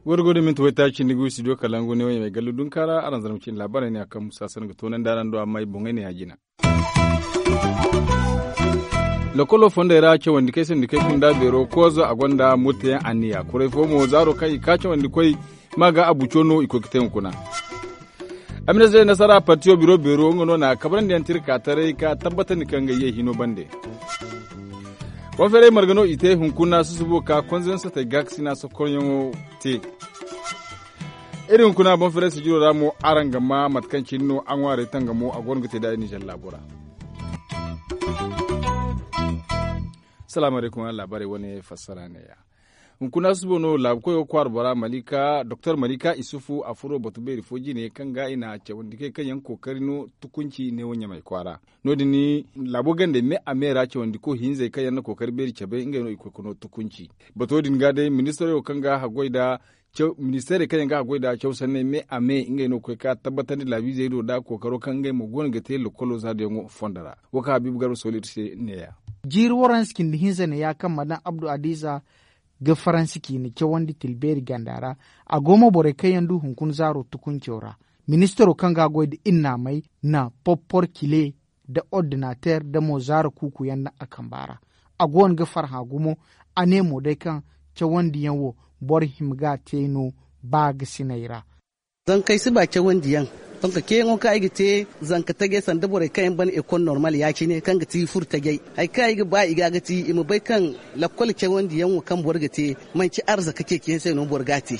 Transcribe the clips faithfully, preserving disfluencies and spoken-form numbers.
Gorgode minti waytaaci cindi gu studio kalangu ne wo ɲamay gallu dunkaara araŋ zarma cindi laabaarey ne a kaŋ musa sanda ga toonandi araŋ do amma ay boŋey ne ya jina. Lokolo fondey ra cawandi kay sandi kay kunda beero koozo a gonda murtayaŋ anniya kuray fo mo zaaro kaŋ i ka cawandi koy ma ga abuco no i koy ga te hunkuna. Amina zai nasara partiyo biro beero nga no na kabrandi yaŋ tirka taray ka tabbatandi kaŋ ga ye hino bande. Konferey marga no i te hunkuna susubo ka konzensatey gaakasina sokoryaŋo te. Iri hunkuna bonferey sijiro ra mo araŋ ga ma mate kaŋ cine no a ŋwaarey tangamo a go no ga te da iri nizer laabo ra. Salaamu alaykum araŋ laabaarey wane fassara neeya. Hunkuna susubo no laabu koyo kwaara bora malika doktor malika isufu a furo batu beeri fo jine kaŋ ga i na cawandi kay kaŋ yaŋ kookari no tukunci neewo ɲamay kwaara. No- din laabo gandey me a me ra cawandi ko hinzey kaŋ yaŋ na kookari beeri cabe ngey no i koy ga no tukunci. Bato din ga day ministaro kaŋ ga haggoy nda ministeerey kaŋ yaŋ ga haggoy nda caw sanney me a me ngey no ga koy ga tabbatandi laabiizey do nda kookaro kaŋ ngey mo go no ga te lokkolo zaadiyaŋo fondo ra. Wo kaŋ habiibu garba sooli iri se neeya. Jiiri waranza cindi hinza ne ya kaŋ madam abdu adiiza ga faransi ciine cawandi tilbeeri ganda ra. A go mo borey kaŋ yaŋ du hunkuna zaaro tukunco ra. Ministaro kaŋ ga goy nda innaamey na poppor cile nda ordinateer nda mo zaara kuuku yaŋ daŋ a kamba ra. A go no ga farhã gumo. A ne mo day kaŋ cawandiyaŋ wo boro hima ga a te no baagasiney ra. Zankey si ba cawandiyaŋ. Donk ceeyaŋo kaŋ ay ga te zanka tajey sanda borey kaŋ yaŋ ban ekol normal ya- cine kaŋ ga ti furo tajey hari kaŋ ay ga ba i ga ga ti i ma bay kaŋ lakkol cawandiyaŋ wo kaŋ boro ga te manci arzaka ceeciyaŋ se no boro ga a te.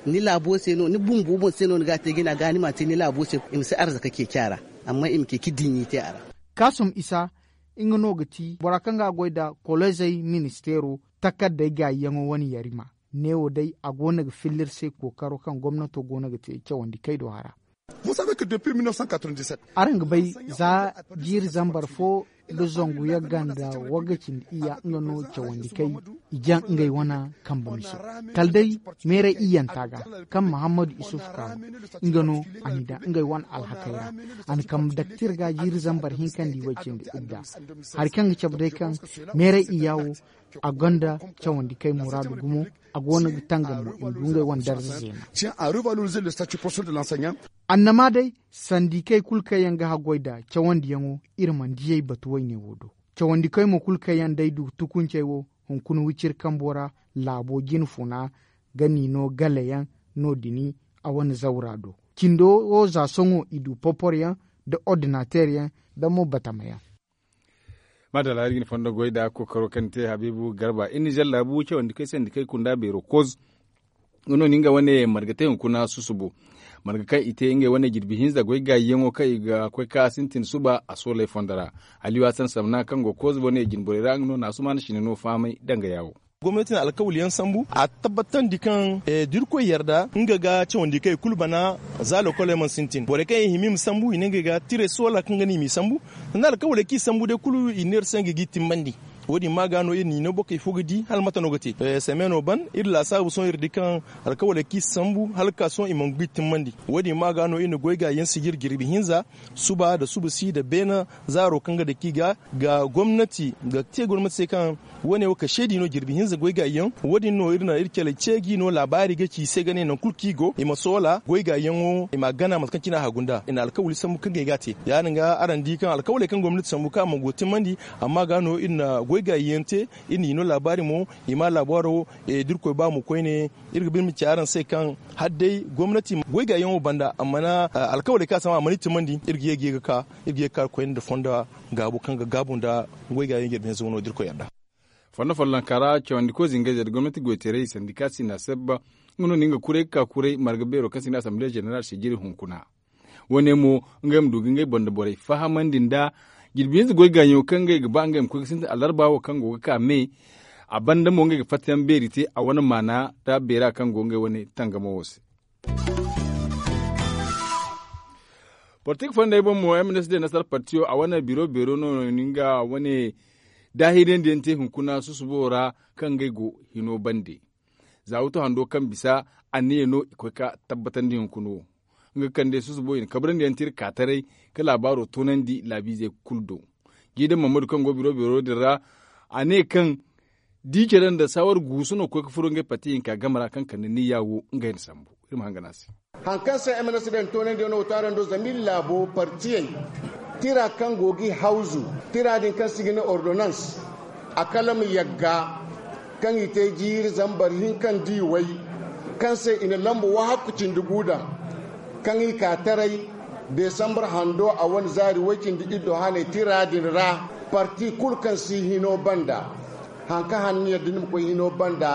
Ni laabo se no ni bumbo boŋ se no ni ga a te jina ga ni m'a te ni laabo se i ma si arzaka ceeci a ra. Amma i ma ceeci diɲɲi te a ra. Kaasum isa nga no ga ti bora kaŋ ga a goy nda kolezey ministeero takardey gaayiyaŋo wane yarima. Neewo day a go no ga filla iri se kookaro kaŋ gomnato go no ga te cawandi kay do hara. Araŋ ga bay za jiiri zambar fo nda zangu yagga nda wagga cindi iyya nga no cawandi kay i jaŋ ngey wane kambe miso. Kala day meeray iyyanta ga kaŋ mahammadu isuf kaano nga no a n'i daŋ ngey wane alhakey ra. A na kambe daktir ga jiiri zambar hinka nda i way cindi idda. Hari kaŋ ga cabe day kaŋ meeray iyya wo a gonda cawandi kay muraadu gumo. A go no ga tangam mo i ma du ngey wane darza zeena. Annama day sandikey kulu kaŋ yaŋ ga haggoy nda cawandiyaŋo iri mana diyey batu wayne wo do. Cawandikey mo kulu kaŋ yaŋ day du tukuncey wo hunkuna wiciri kambo ra laabo jine funa ga ni no galeyaŋ no- din a wane zawra do. Cindo wo za sohõ i du poporyaŋ nda ordinateeryaŋ nda mo batamayaŋ. Maadalla iri ga ni fondo goy nda kookaro kaŋ ni te habiibu garba iri nizer laabu cawandi kay sandi kay kunda beero koz. Nga no ni nga wane marga te hunkuna susubo marga kaŋ i te ngey wane jirbi hinza goy gaayiyaŋo kaŋ i ga koy ka sintin suba a sooley fondo ra. Aliyu hasan samna kaŋ go koz wane jinborey ra nga no na asumaana sine no fahamay danga yaawo. Gomnati na alkawali yaŋ sambu a tabbatandi kaŋ da irkoy yarda nga ga cawandi kaŋ i kulu bana. Za lokoley mana sintin borey kaŋ i hima i ma sambu i ne ngey ga tiray soola kaŋ ga no i m'i sambu. Sanda alkawaley kaŋ i sambu day kulu i ne iri se ngey g'i timmandi. Wo- din ma ga no iri n'i no bokey fo ga di hala mate no ga te. Semeeno ban iri laasaabu sohõ iri di kaŋ alkawaley kaŋ i sambu hala ga ka sohõ i mana g'i timmandi. Wo- din ma ga no iri na goy gaayiyaŋ sijir jirbi hinza suba nda suba si nda beene zaaro kaŋ ga dake i ga. Ga gomnati ga te gomnati se kaŋ wo- ne wo ka seedi no jirbi hinza goy gaayiyaŋ. Wo- din no iri na iri caley ceeji no laabaari ga ci i se ga ne nangu kulu kaŋ i go i ma soola goy gaayiyaŋo i m'a gana mate kaŋ cine a hagu nd'a i na alkawali sambu kaŋ ga ay ga a te. Ya- din ga araŋ di kaŋ alkawaley kaŋ gomnati sambu kaŋ a mana go timmandi. Amma ga no iri na goy gaayiyaŋ te iri n'i no laabaari mo i ma laabaaro da irkoy ba mo koyne. Iri ga ba iri ma ci araŋ se kaŋ hala day gomnati goy gaayiyaŋo banda a mana alkawaley kaŋ a sambu a mana i timmandi iri ga ye ga ka iri ga ye ga ka koyne nda fonda gaabo kaŋ ga gaabu nda goy gaayiyaŋ jirbi hinza wano da irkoy yarda. Fondo follonka ra cawandiko zingayzey nda gomnati goytaray sandika sinda sebba. Nga no na nga kuray ga ka kuray marga beero kaŋ sinda asamble zeneral sijiri hunkuna. Wo- ne mo ngey ma du ga ngey banda borey fahamandi nda jirbi hinza goy gaayiyaŋo kaŋ ngey ga ba ngey ma koy ga sintin alarba wo kaŋ go ga ka me. A banda mo ngey ga fattayaŋ beeri te a wane maana nda beera kaŋ go ngey wane tangamo wo se. Politik fondey boŋ mo m n s d nasara partiyo a wane biro beero no nga wane daahirandiyaŋ te hunkuna susubo ra kaŋ ngey go hino bande. Za wuto hando kaŋ bisa anniya no i koy ka tabbatandi hunkuna wo. Nga kande susubo i na kabrandi yaŋ te iri ka taray ka laabaaro toonandi laabiizey kulu do. Jiidan mammadu kaŋ go biro biro din ra, a ne kaŋ di care nda saawar guusu no ga koy ga furo ngey parti hinka game ra kaŋ kande niyya wo ngey na sambu. Iri ma hangan a se. Hari kaŋ se m n s day na toonandi yaŋ no wo taarando zama iri laabo partiyey tira kaŋ go ga i hawzu tira din kaŋ se i ga ne ordonans a kala ma yagga kaŋ i te jiiri zambar hinka nda i way kaŋ se i na lambu wahakku cindi gu daŋ kaŋ i ka taray desambar hando a wane zaari way-cindi iddo haney tira din ra. Parti kulu kaŋ si hino banda hari kaŋ han ni yadda ni ma koy hino banda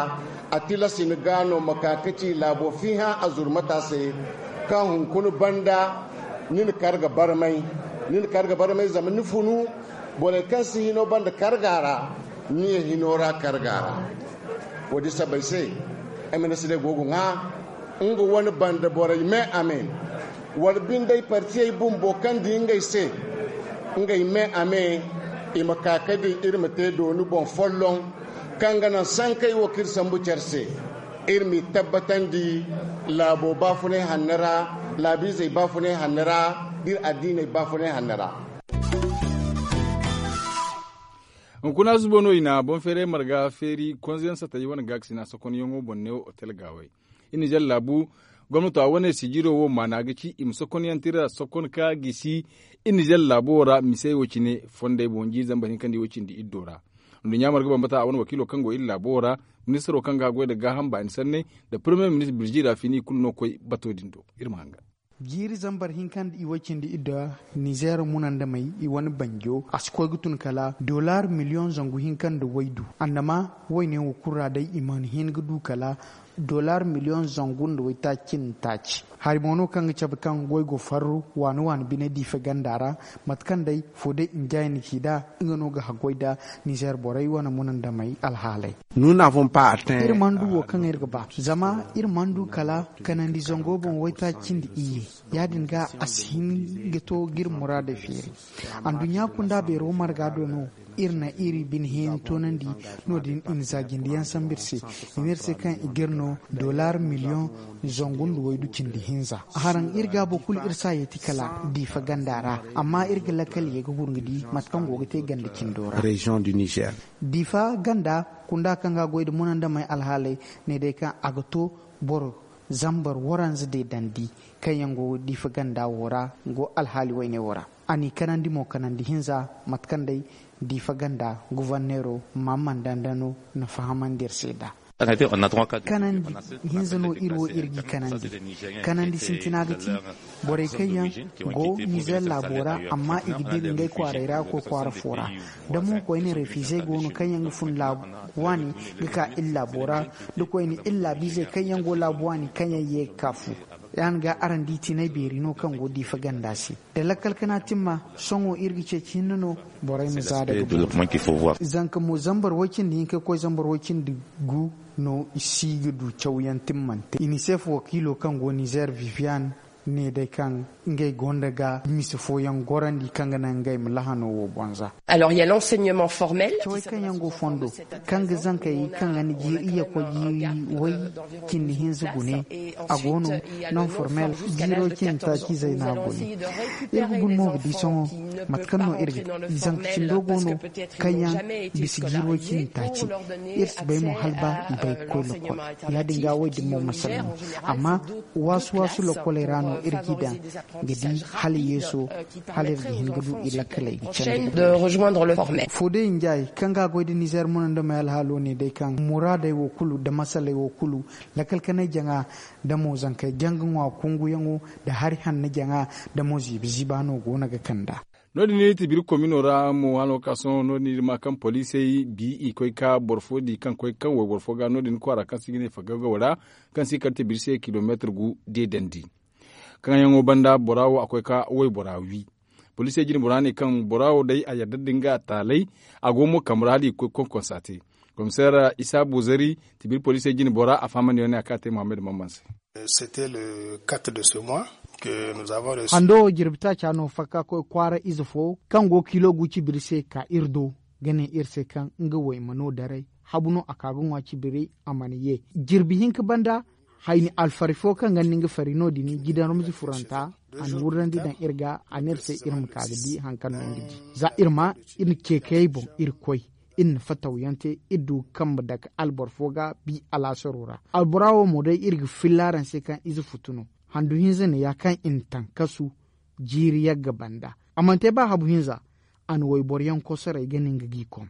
a tilas i na ga no ma ka ga ci laabo fiihaŋ a zurmata se kaŋ hunkuna banda ni na kar ga barmay ni na kar ga barmay zama ni funu borey kaŋ si hino banda karga ra ni ye hino ra karga ra. Wo- din sabbay se m n s day go ga ŋwa nga wane banda borey me a me wala bindey partiyey bumbo kaŋ di ngey se ngey me a me i ma ka ga di iri ma te dooni boŋ folloŋ kaŋ ga naŋ sankey wo kaŋ iri sambu care se iri m'i tabbatandi laabo baafunay hanno ra laabiizey baafunay hanno ra da iri addiiney baafunay hanno ra. Hunkuna zubo no i na boŋ feeray marga feeri konze yaŋ satay wane gaakasina sokonyaŋo boŋ neewo otel gaawey. Iri nizer laabu gomnato a wane sijiro wo maana ga ci i ma sokon yaŋ tira sokon ka gisi iri nizer laabo wo ra misey wo cine fondey boŋ jiiri zambar hinka nda i wo cindi iddo ra. Nduɲɲa marga bambata a wane wakiilo kaŋ go iri laabo wo ra ministaro kaŋ ga haggoy nda gaaham baani sanney nda parmiye ministir birji ra fini i kulu no koy bato din do. Iri ma hanga. Jiiri zambar hinka nda i way cindi iddo nizer munandamey i wane banjo a si koy ga tun kala dollar miliyoŋ zangu hinka nda waydu. Andama wayne wo kulu ra day i mana hin ga du kala dollar miliyoŋ zangu nda waytaaci cindi taaci. Hari mo no kaŋ ga cabe kaŋ goy go farru waani waani bine diife ganda ra mate kaŋ day fo day njay na ci nd'a nga no ga haggoy nda nizer borey wane munandamey alhaaley. Iri mana du wo kaŋ iri ga ba zama iri mana du kala kanandi zango boŋ waytaaci cindi iyye. Ya- din ga a si hin ga to ga iri muraadey feeri. Anduɲɲa kunda beero marga do no iri na iri bine hẽeni toonandi. No- din i na za jinde yaŋ sambu iri se i ne iri se kaŋ i ga iri no dollar miliyoŋ zangu nda waydu cindi hinza. Haraŋ iri gaabo kulu iri si a yeeti kala diifa ganda ra. Amma iri ga lakkal ye ga gurŋa di mate kaŋ go ga te ganda cindo ra. Diifa ganda kunda kaŋ ga a goy nda munandamey alhaaley ne day kaŋ a ga to boro zambar waranza deedandi kaŋ yaŋ go diifa ganda wo ra. Go alhaali wayne wo ra a n'i kanandi mo kanandi hinza mate kaŋ day diifa ganda guvarneero maamman dandano na fahamandi iri se nd'a. Kanandi hinza no iri wo iri g'i kanandi. Kanandi sintina ga ti borey kaŋ yaŋ go nizer laabo ra amma i ga dira ngey kwaaray ra ga koy kwaara fo ra. Da mo koyne refiizey go no kaŋ yaŋ ga fun laabu waani ga ka iri laabo ra da koyne iri laabiizey kaŋ yaŋ go laabu waani kaŋ yaŋ ye ga ka fu. Ya- din ga araŋ di tinay beeri no kaŋ go diifa ganda se da lakkal kana timma. Sohõ iri ga ceeci hinne no borey ma za daga boŋ. Zanka mo zambar way-cindi hinka ga koy zambar way-cindi gu no i si ga du cawyaŋ timmante. Inisef wakiilo kaŋ go nizer vivian ne day kaŋ ngey gonda ga mise fooyaŋ gorandi kaŋ ga naŋ ngey ma lahano wo boŋ za. Cawey kaŋ yaŋ go fondo kaŋ ga zankey kaŋ ga ni jiiri iyye koy jiiri way cindi hinza gune. A go no non formel jiiro cindi taaci zayna gune. Iri ga guna mo ga di sohõ mate kaŋ no iri ga zanka cindo go no kaŋ yaŋ bisa jiiro cindi taaci. Iri si bay mo hala ba i bay ga koy lokol. Ya- din ga wo- din mo masala no amma waasu waasu lokoley ra no iri g'i daŋ ga di hala yeeso hala iri ga hin ga du i lakkaley ga candi. Fo day njay kaŋ ga a goy nda nizer munandamey alhaalo ne day kaŋ muraadey wo kulu nda masaley wo kulu lakkal kanay jaŋa nda mo zankey janga ŋwa kunguyaŋo nda hari hanno jaŋa nda mo ziiba ziiba no go no ga kand'a. No- din iri ti biri komino ra mo hano ka sohõ no- din iri ma kaŋ poliisey bi i koy ka boro fo di kaŋ koy kaŋ wayboro fo ga no- din kwaara kaŋ se i ga ne fagagawo ra kaŋ se i kar te biri se kilomeetir gu deedandi. Kaŋ yaŋo banda bora wo a koy ka waybora wi. Poliisey jine bora ne kaŋ bora wo day a yadda nda nga taalay a go mo kambe ra hala i ga koy konkonsa te. Komiseer isa bozari tibir poliisey jine bora a fahamandi yaŋ ne a kaŋ a te muhammad mamman se. Hando wo jirbi taaca no fakka koy kwaara ize fo kaŋ go kiilo gu cibiri se ka iri do ga ne iri se kaŋ nga wayma no daray habu no a ka ga ŋwa cibiri a mana ye. Jirbi hinka banda Hayni alfari fo kaŋ ga ni nga fari no- din jidan rumzi furanta, a na wurrandi daŋ iri ga, a ne iri se iri ma ka ga di hari kaŋ no nga di. Za iri ma iri na ceekayey boŋ iri koy, iri na fatawyaŋ te, iri du ga kambe dake alboro fo ga bi alaasaro ra. Albora wo mo day iri ga filla araŋ se kaŋ ize futu no. Handu hinza ne ya kaŋ i na taŋ kasu jiiri yagga banda. A mana te ba habu hinza, a na wayboro yaŋ kosoray ga ne nga g'i kom.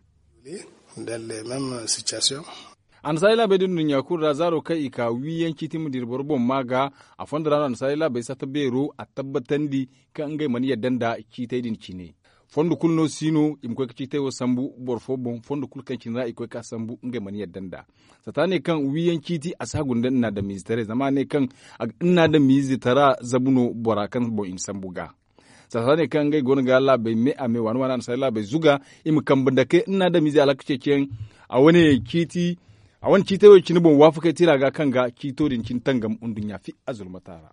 Annasaari laabey din nduɲɲa kulu ra zaaro kaŋ i ka wiiyaŋ ciiti ma dira boro boŋ maa ga. A fondo ra no annasaari laabey satta beero a tabbatandi kaŋ ngey mana yadda nda ciitey din cine. Fondo kulu no si no i ma koy ga ciitey wo sambu boro fo boŋ fondo kulu kaŋ cine ra i koy ga sambu ngey mana yadda nda. Satta ne kaŋ wiiyaŋ ciiti a si hagu nda nna adamiizetaray zama a ne kaŋ nna adamiizetara zabu no bora kaŋ boŋ i na sambu ga. Satta ne kaŋ ngey go no ga laabey me a me waani waani annasaari laabey zuga i ma kambe dake nna adamiizey alhaka ceeciyaŋ. A wane ciiti a wane ciitey wo cine boŋ waafakey tiira ga kaŋ ga ciito din cine tangam nduɲɲa fi a zulmata ra.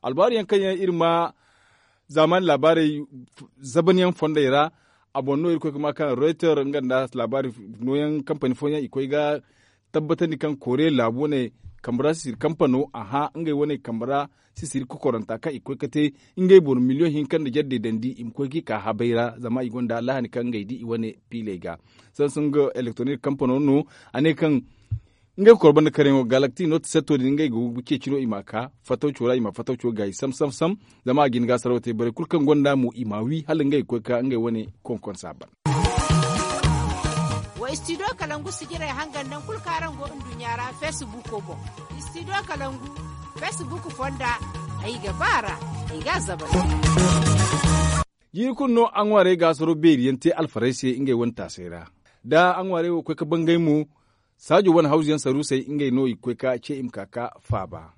Albaaru yaŋ kaŋ yaŋ iri ma zaamaani laabaarey zabanyaŋ fondey ra. A boŋ no iri koy ga ma kaŋ reuter nga nda laabaari nooyaŋ kampani fooyaŋ i koy ga tabbatandi kaŋ kooriye laabu wane kambe ra sisiri kampano a hã ngey wane kambe ra sisiri kokoranta kaŋ i koy ga te ngey boro miliyoŋ hinka nda jardey dandi i ma koy ga i ka habay ra zama i gonda lahani kaŋ ngey di i wane piiley ga. Samsung elektronik kampano no a ne kaŋ ngey ga koro banda karyaŋo galakti note setto din ngey ga ceeci no i ma ka fatawco ra i ma fatawco gaayi sam sam sam. Zama a ga hin ga a saraw te borey kulu kaŋ gonda mo i ma wi hala ngey ga koy ka ngey wane konkonsa ban. Wa istidiyo kalangu sijirey hangan naŋ kulu kaŋ araŋ go nduɲɲa ra feesibuko boŋ. Istidiyo kalangu feesibuko fonda ay ga ba ra ay ga a zabal. Jiiri kulu no a ŋwaarey ga asaro beeri yaŋ te alfarey se ngey wane taasay ra. Da a ŋwaarey wo koy ga bangay mo saajo wane hawzu yaŋ saruusey ngey no i ga koy ga ce i ma ka ga faaba.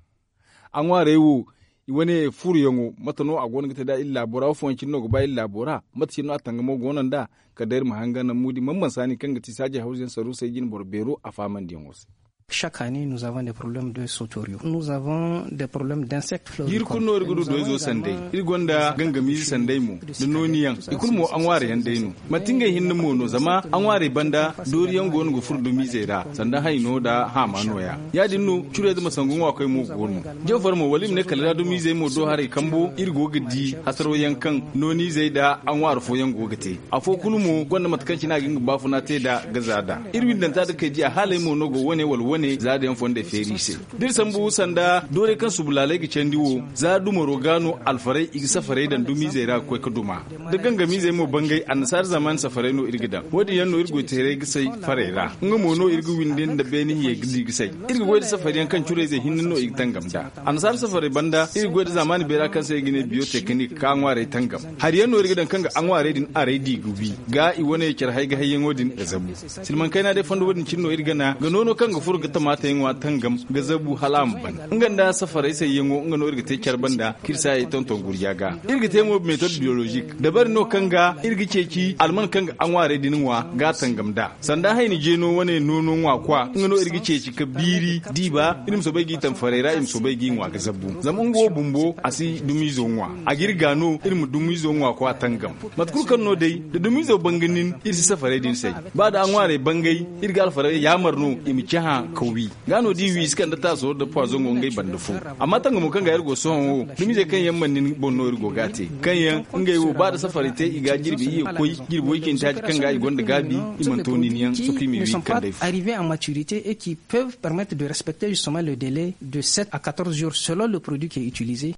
A ŋwaarey wo i wane furuyaŋo mate no a go no ga te nd'a iri laabo ra wo fooyaŋ cine no ga ba iri laabo ra? Mate cine no a tangamo go no nd'a? Kala day iri ma hangan naŋ muudi man mansa ni kaŋ ga ti saajo hawzu yaŋ saruusey jine boro beero a faamandiyaŋo se. Chaque année nous avons des problèmes de sauteriaux nous avons des problèmes d'insectes. Jiiri kulu no iri ga du doyzo sanday. Iri gonda gangamiize sanday mo da nooni yaŋ i kulu mo a ŋwaara yaŋ day no. Manti ngey hinne mo no zama a ŋwaarey banda doori yaŋ go no ga furo dumizey ra sanda hayno nda haama nooya. Ya- din no curey da masangu ŋwaakoy mo go no. Jawfar mo wala i ma ne kala ra dumizey mo do haray kambo iri go ga di hasaro yaŋ kaŋ noonizey nda a ŋwaara fooyaŋ go ga te. Afo kulu mo gonda mate kaŋ cine a ga nga baafuna te nd'a ga za nd'a. Iri windanta nda kay di a haaley mo no go wane wala wane za da yaŋ fondey feeri i se. Da iri sambu sanda doorey kaŋ subu laaley ga candi wo za dumaro ga no alfarey i ga safarey daŋ dumizey ra ga koy ga duma. Da gangamiizey mo bangay annasaara zamaani safarey no iri ga daŋ wo- din yaŋ no iri goy teeray ga say farey ra. Nga mo no iri ga windi nda beene hiyey ga di ga say. Iri ga goy nda safari yaŋ kaŋ curayzey hinne no i ga tangam nd'a. Annasaara safarey banda iri ga goy nda zamaani beera kaŋ se i ga ne biyotekinik ka ŋwaarey tangam. Hari yaŋ no iri ga daŋ kaŋ ga a ŋwaarey din aray di ga wi ga i wane care hay ga hayyaŋo din ga zabu. Silmaŋ kayna day fondo wo- din cine no iri gana ga noono kaŋ ga furo ga tamaatayaŋo a tangam ga zabu hala a ma ban. Nga nda safarey sayyaŋo nga no iri ga te care banda k'iri saayey tonton gurja ga. Iri ga te mo metod biyolozik dabari no kaŋ ga iri ga ceeci alman kaŋ ga a ŋwaarey din ŋwa ga a tangam nd'a. Sanda hayni jeeno wane noono ŋwa kwa nga no iri ga ceeci ka biiri diiba iri ma soobay g'i taŋ farey ra i ma soobay g'i ŋwa ga zabbu zama nga wo bumbo a si dumiizo ŋwa. A ga iri ga no iri ma dumiizo ŋwa kwa tangam. Mate kulu kaŋ no day da dumiizo ban ga nin iri si safarey din say. Ba da a ŋwaarey bangay iri ga alfarey yaamar no i ma cahã ka wi. Ga no da i wi i si kande taasoro nda pwazongo ngey banda fo. Amma tangamo kaŋ ga iri go sohõ wo dumizey kaŋ yaŋ mana nin boŋ no iri go ga a te kaŋ yaŋ ngey wo ba da safarey te i ga jirbi iyye koy jirbi woy cindi taaci kaŋ ga i gonda gaabi i mana to nin yaŋ sohõ i ma i wi ga kand'ey fo. Arrivés en maturité et qui peuvent permettre de respecter justement le délai de sept à quatorze jours selon le produit qui est utilisé.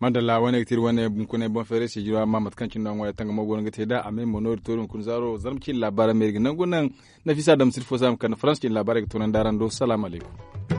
Madalla wane ga te iri wane bunkunay boŋ feeray se jiro amma mate kaŋ cine no a ŋwaari tangamo go no ga te nd'a a me mo no iri to iri hunkuna zaaro zarma ciine laabaara me iri ga nangu naŋ. Nafisa dam sirfo se a ma kande farans ciine laabaarey ga toonandi araŋ do salaamu alaykum.